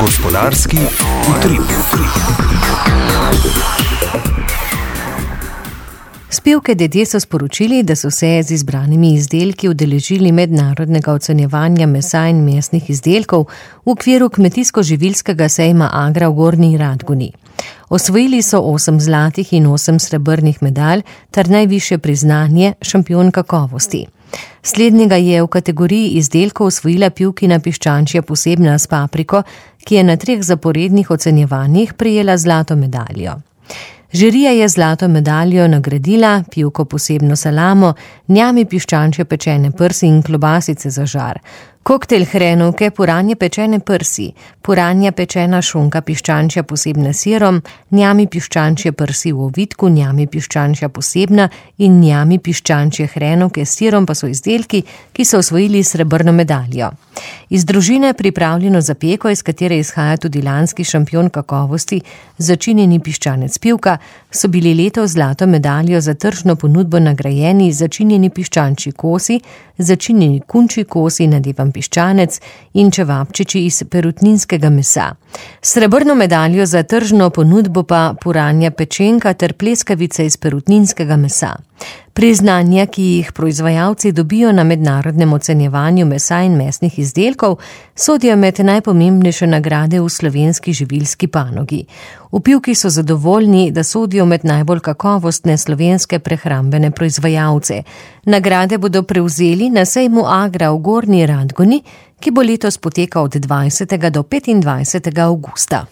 Gospodarski utrip. S Pivke Dedje so sporočili, da so se z izbranimi izdelki udeležili mednarodnega ocenjevanja mesa in mesnih izdelkov v okviru kmetijsko-živilskega sejma Agra v Gornji Radgoni. Osvojili so 8 zlatih in 8 srebrnih medalj ter najvišje priznanje šampion kakovosti. Slednjega je v kategoriji izdelkov osvojila Pivkina piščančja posebna s papriko, ki je na 3 zaporednih ocenjevanjih prejela zlato medaljo. Žirija je zlato medaljo nagradila Pivko posebno salamo, njami piščančje pečene prsi in klobasice za žar, koktejl hrenovke, puranje pečene prsi, puranja pečena šunka piščančja posebna sirom, njami piščančje prsi v ovitku, njami piščančja posebna in njami piščančje hrenovke s sirom pa so izdelki, ki so osvojili srebrno medaljo. Iz družine pripravljeno zapeko, iz katere izhaja tudi lanski šampion kakovosti, začinjeni piščanec Pivka, so bili letos zlato medaljo za tržno ponudbo nagrajeni začinjeni piščančji kosi, začinjeni kunčji kosi, nadevan piščanec in čevapčiči iz perutninskega mesa. Srebrno medaljo za tržno ponudbo pa puranja pečenka ter pleskavice iz perutninskega mesa. Priznanja, ki jih proizvajalci dobijo na mednarodnem ocenjevanju mesa in mesnih izdelkov, sodijo med najpomembnejše nagrade v slovenski živilski panogi. V Pivki so zadovoljni, da sodijo med najbolj kakovostne slovenske prehrambene proizvajalce. Nagrade bodo prevzeli na sejmu Agra v Gornji Radgoni, ki bo letos potekal od 20. do 25. avgusta.